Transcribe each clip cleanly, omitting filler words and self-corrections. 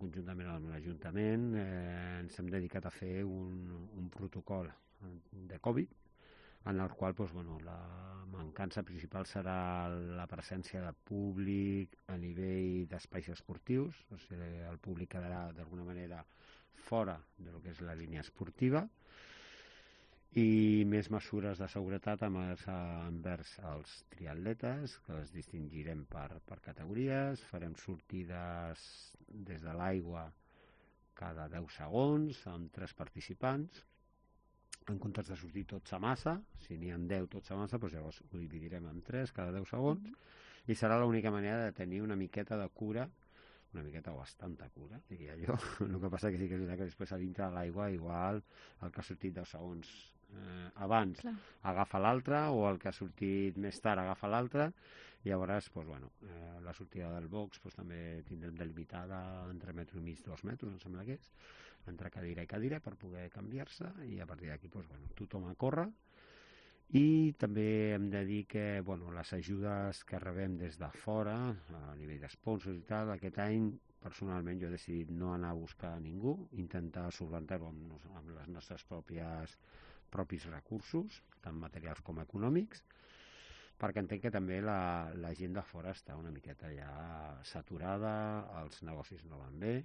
conjuntament amb l'Ajuntament, ens hem dedicat a fer un protocol de Covid, en el qual la mancança principal serà la presència de públic a nivell d'espais esportius, o sigui, el públic quedarà d'alguna manera fora del que és la línia esportiva, i més mesures de seguretat envers els triatletes, que els distingirem per categories, farem sortides des de l'aigua cada 10 segons amb 3 participants, en comptes de sortir tots a massa, si n'hi ha 10 tots a massa, doncs llavors ho dividirem en 3 cada 10 segons, i serà l'única manera de tenir una miqueta de cura, una miqueta o bastanta cura, diria jo. El que passa que sí que és veritat que després a dintre de l'aigua igual el que ha sortit 10 segons abans agafa l'altre, o el que ha sortit més tard agafa l'altre, i llavors la sortida del box també tindrem delimitada entre metro i mig, 2 metres, em sembla que és, entre cadira i cadira per poder canviar-se, i a partir d'aquí tothom a córrer. I també hem de dir que les ajudes que rebem des de fora, a nivell d'esponsors i tal, aquest any personalment jo he decidit no anar a buscar a ningú, intentar solventar-ho amb les nostres propis recursos, tant materials com econòmics, perquè entenc que també la gent de fora està una miqueta ja saturada, els negocis no van bé.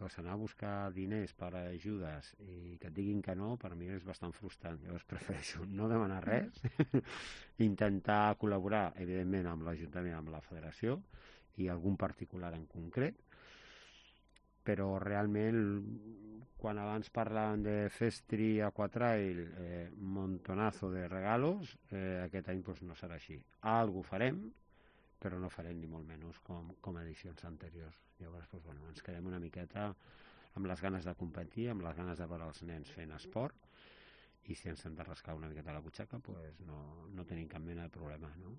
Llavors anar a buscar diners per ajudes i que et diguin que no, per mi és bastant frustrant. Llavors prefereixo no demanar res, intentar col·laborar, evidentment, amb l'Ajuntament, amb la Federació i algun particular en concret, però realment quan abans parlaven de Festri Aquatrail, montonazo de regalos, aquest any no serà així. Algo farem, però no farem ni molt menys com edicions anteriors. Llavors ens quedem una miqueta amb les ganes de competir, amb les ganes de veure els nens fent esport, i si ens hem de rascar una miqueta la butxaca no tenim cap mena de problema, no?